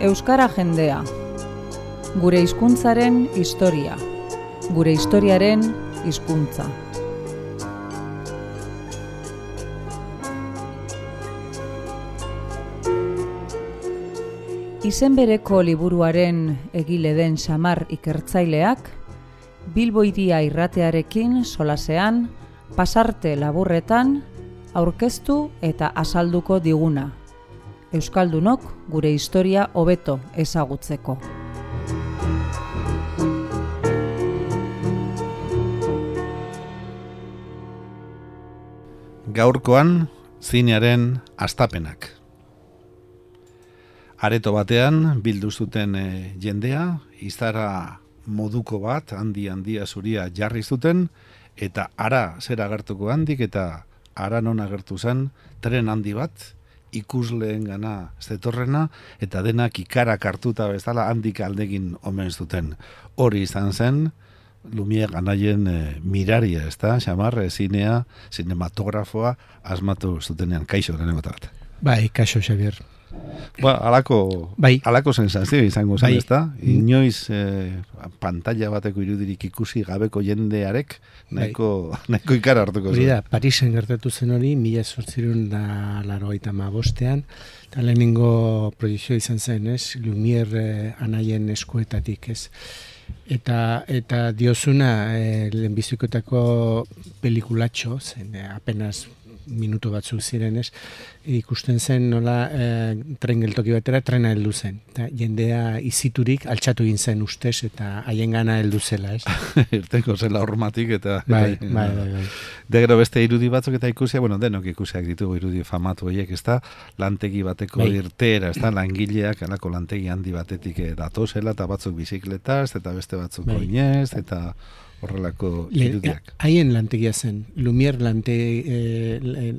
Euskara jendea. Gure hizkuntzaren historia. Gure historiaren hizkuntza. Izen bereko liburuaren egile den Xamar ikertzaileak, Bilbo Hiria irratearekin solasean, pasarte laburretan, aurkeztu eta azalduko diguna. Euskaldunok gure historia hobeto ezagutzeko. Gaurkoan, zinearen hastapenak. Areto batean, bildu zuten jendea, izara moduko bat, handia zuria jarri zuten, eta ara zer agertuko handik, eta ara non agertu zen, tren handi bat, ikusleen gana zetorrena, eta denak ikarak hartuta bezala handik aldegin omen zuten. Hori izan zen, Lumière anaien miraria, ezta, Xamar, zinea, zinematografoa, asmatu zutenean. Kaixo, lehenengo bat. Bai, kaixo, Xavier. Alako sensazio izango zen, ezta? Inoiz pantalla bateko irudirik ikusi gabeko jendearek nahiko ikara hartuko zen. Hori da, Parisen gertatu zen hori, 1885ean, eta lehenengo proiekzioa izan zen, ez? Lumière anaien eskuetatik, ez? Eta diozuna lehenbizikotako pelikulatxo, zen apenas minutu batzuk zirenez, ikusten zen nola tren geltoki batera trena heldu zen. Eta jendea iziturik altxatu egin zen ustez eta haien gana heldu zela, ez? Irteko zela hormatik eta... Bai. Degero beste irudi batzuk eta ikusia, denok ikusiak ditugu irudi famatu horiek, ez da, lantegi bateko irteera, ez da, langileak, alako lantegi handi batetik datozela, eta batzuk bizikletaz, eta beste batzuk oinez, eta... horrelako irudiak. Haien lantegia zen, Lumière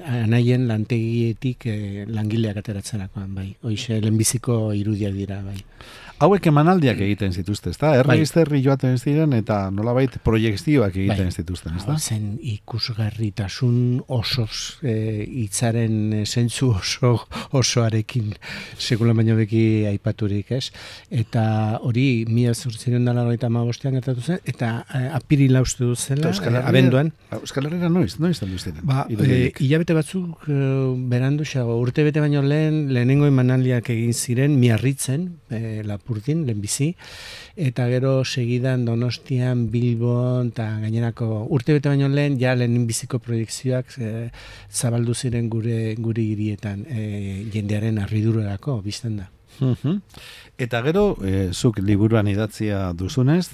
anaien lantegietik langileak ateratzerakoan, bai. Hoize, lehenbiziko irudiak dira, bai. Hauek emanaldiak egiten zituzte, ezta? Herri joaten ziren eta nolabait proiekzioak egiten zituzten, ezta? Zen ikusgarritasun osoz, hitzaren zentzu osoarekin sekula baino beki aipaturik, ez? Eta hori 1895ean gertatu zen, eta apirila uste du zela, abenduan. Euskal Herriera noiz aldu ziren? Hilabete batzuk berandu xago, urte bete baino lehenengo emanaldiak egin ziren, Miarritzen, Lapurdin, lehenbizi, eta gero segidan Donostian, Bilbon, eta gainerako urte bete baino lehenbiziko proiekzioak zabaldu ziren gure hirietan, jendearen harridurarako, bizten da. Eta gero, zuk liburuan idatzia duzunez,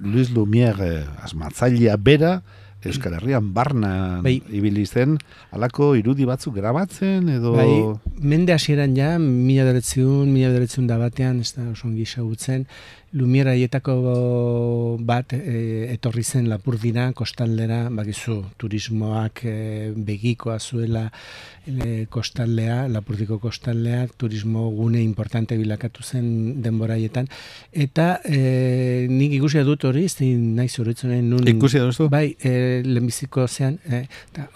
Luis Lumière asmatzailea bera, Euskal Herrian barna ibili zen, halako irudi batzuk grabatzen edo... Mende hasieran ja, 1900 batean, ez da oso ongi ezagutzen, Lumière haietako bat etorri zen Lapurdira, kostaldera, bakizu, turismoak begikoa zuela kostaldea, Lapurdiko kostaldeak, turismo gune importante bilakatu zen denbora haietan, eta nik ikusia dut hori, ez nahi zuritzen nun... Ikusia duzu? Bai, lehenbiziko zean,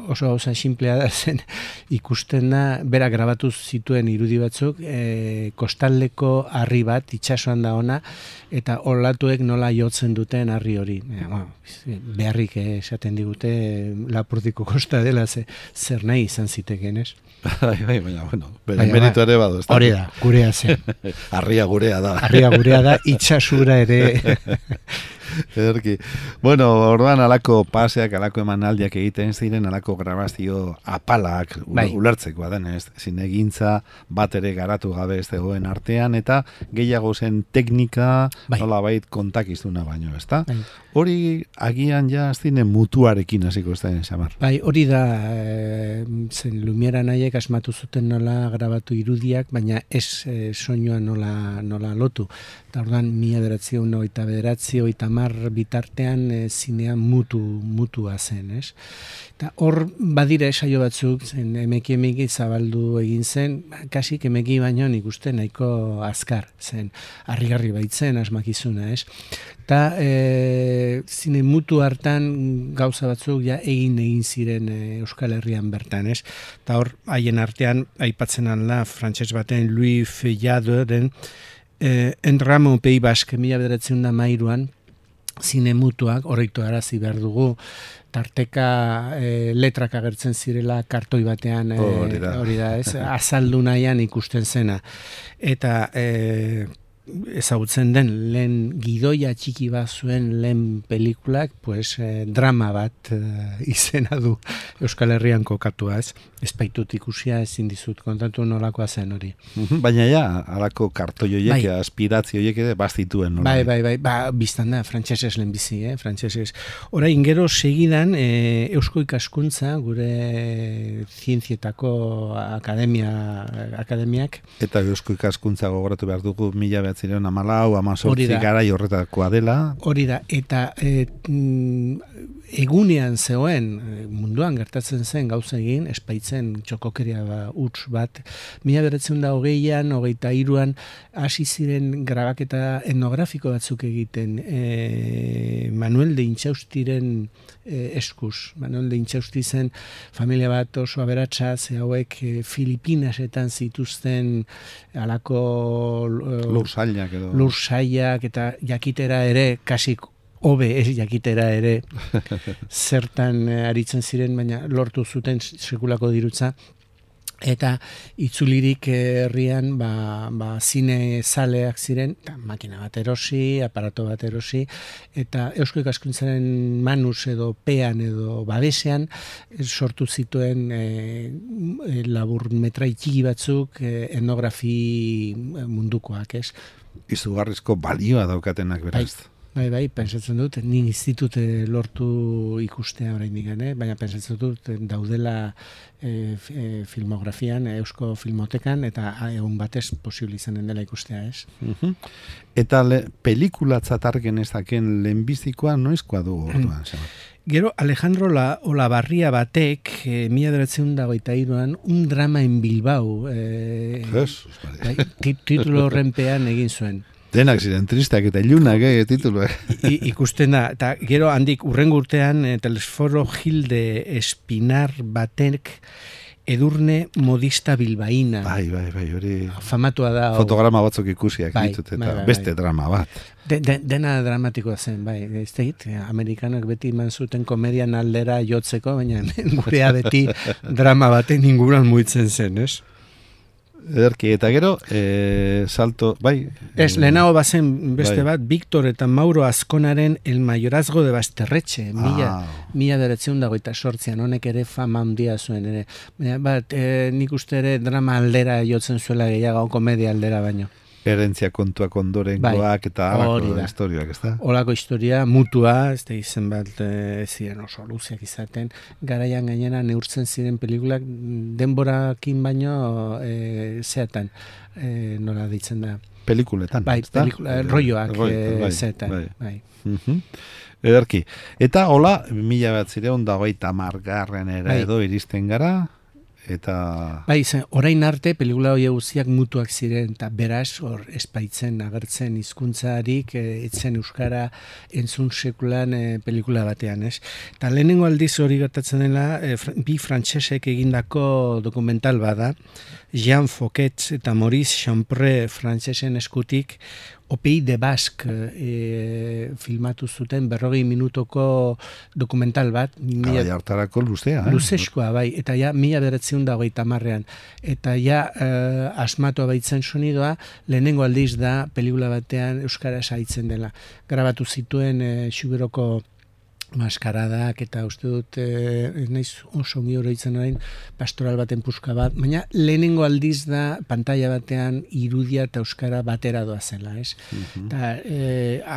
oso gauza simplea da zen, ikusten da, bera grabatu zituen irudi batzuk, kostaldeko harri bat, itsasoan da ona, eta olatuek nola jotzen duten harri hori. Beharrik esaten digute Lapurdiko kosta dela, zer nahi izan ziteken, ez? Baina, meritu ere badu. Hori da, gurea zen. Harria gurea da. Harria gurea da, itsasura ere... Ederki. Orduan alako paseak, alako emanaldiak egiten ziren, alako grabazio apalak ulertzeko adenez, zinegintza bat ere garatu gabe ez dagoen artean, eta gehiago zen teknika, nolabait kontakizuna baino, ezta? Hori agian ja zine mutuarekin hasiko ez da, Xamar? Hori da, zen Lumière anaiek asmatu zuten nola grabatu irudiak, baina ez soinua nola lotu. Eta orduan, 1999 bitartean zinean mutua zen, ez? Eta hor badira saio batzuk, zen emeki zabaldu egin zen, kasik emeki baino nik uste nahiko azkar zen, harrigarri baitzen asmakizuna, ez? Eta zine mutu hartan gauza batzuk ja egin ziren Euskal Herrian bertan, ez? Eta hor, haien artean, aipatzen alda, frantses baten Louis Feuilladoren En Ramo Pei Basque 1913an zine mutuak horreitu arazi behar dugu, tarteka letrak agertzen zirela kartoi batean hori da, ez? Azaldu nahian ikusten zena. Eta ezagutzen den lehen gidoia txiki bat zuen lehen pelikulak, pues, drama bat izena du Euskal Herrian kokatua, ez? Ez baitut ikusia, ezin dizut kontatu nolakoa zen hori. Baina ja, alako kartoi horiek, aspirazio horiek ere bazituen. Bai, biztan da, frantsesez lehenbizi, frantsesez. Orain gero segidan, Eusko Ikaskuntza, gure zientzietako akademiak. Eta Eusko Ikaskuntza gogoratu behar dugu 1914 garai horretakoa dela. Hori da, eta egunean zegoen, munduan gertatzen zen gauza egin, espaitzen txokokeria huts bat, 1920an, 23an, hasi ziren grabaketa etnografiko batzuk egiten, Manuel de Intxaustiren eskuz. Manuel de Intxausti zen familia bat oso aberatsa, ze hauek Filipinesetan zituzten alako lursaiak eta jakitera ere, kasik hobe ez jakitera ere zertan aritzen ziren, baina lortu zuten sekulako dirutza. Eta itzulirik herrian zine zaleak ziren, makina bat erosi, aparato bat erosi, eta Eusko Ikaskuntzaren manus edo pean edo babesean sortu zituen labur metrai txiki batzuk etnografi mundukoak, ez? Izugarrizko balioa daukatenak beraz. Bai, pentsatzen dut, nik institute lortu ikustea oraindik, baina pentsatzen dut daudela filmografian, Eusko Filmotekan, eta egun batez posible izanen dela ikustea, ez? Eta pelikulatzat argen ezaken lehenbizikoa noizkoa du orduan? Gero Alejandro Olabarria batek 1923an un drama en Bilbao titulo horrenpean egin zuen. Denak ziren tristeak eta ilunak, tituluak. Ikusten da, eta gero handik urrengo urtean Telesforo Gilde Espinar batek Edurne modista bilbaína. Bai, hori... Famatua da... Fotograma batzuk ikusiak ditut, eta beste drama bat. Dena dramatikoa zen, bai. Ez tegit, Amerikanak beti eman zuten komedian aldera jotzeko, baina gurea beti drama baten inguruan muitzen zen, ez? Ederki, eta gero, salto, bai... Ez, lehenago bazen beste bat, Victor eta Mauro Azkonaren El Mayorazgo de Basterretxe, 1928an, honek ere fama handia zuen, ere. Bat, nik uste ere drama aldera jotzen zuela gehiago, komedia aldera baino. Herentzia kontuak ondorengoak eta alako historiak, ez da? Olako historia, mutua, ez da izen bat ziren oso luziak izaten, garaian gainera neurtzen ziren pelikulak denborakin baino zeatan, nola ditzen da? Pelikuletan, bai, rolloak zeatan, bai. Ederki. Eta hola, 1930 edo iristen gara, eta... Bai, orain arte pelikula hori guztiak mutuak ziren, eta beraz, hor espaitzen agertzen hizkuntzarik etzen euskara entzun sekulan pelikula batean, ez? Eta lehenengo aldiz hori gertatzen dela, bi frantsesek egindako dokumental bada, Jean Fouquet eta Maurice Champré frantsesen eskutik, Opei de Basque filmatu zuten 40 minutoko dokumental bat. Hartarako luzea. Luzeskoa, bai. Eta ja, 1930an. Eta ja, asmatu baitzen sonidoa, lehenengo aldiz da, pelikula batean euskaraz haitzen dela. Grabatu zituen Xuberoko maskaradak, eta uste dut, naiz oso ongi oroitzen orain, pastoral baten puska bat, baina lehenengo aldiz da pantalla batean irudia eta euskara batera doa zela, ez? Eta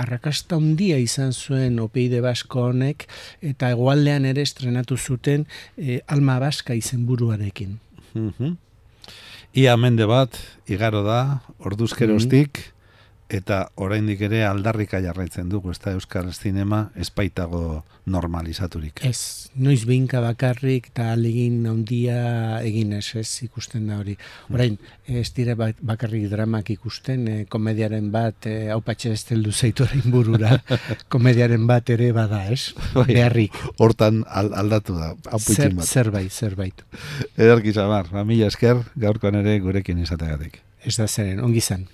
arrakasta handia izan zuen Opei de Basko honek, eta hegoaldean ere estrenatu zuten Alma Baska izenburuarekin. Ia mende bat, igaro da, orduzkeroztik, eta oraindik ere aldarrika jarraitzen dugu, ez da euskal zinema espaitago normalizaturik. Ez, noiz behinka bakarrik eta alegin handia egin ez ikusten da hori. Orain, ez dire bakarrik dramak ikusten, komediaren bat, hau patxe ez teldu zaitu orain burura, komediaren bat ere bada, ez? Beharrik. Hortan aldatu da, hau puitin bat. Zerbait. Ederki Samar, mila esker, gaurkoan ere gurekin izategatik. Ez da zeren, ongi zan.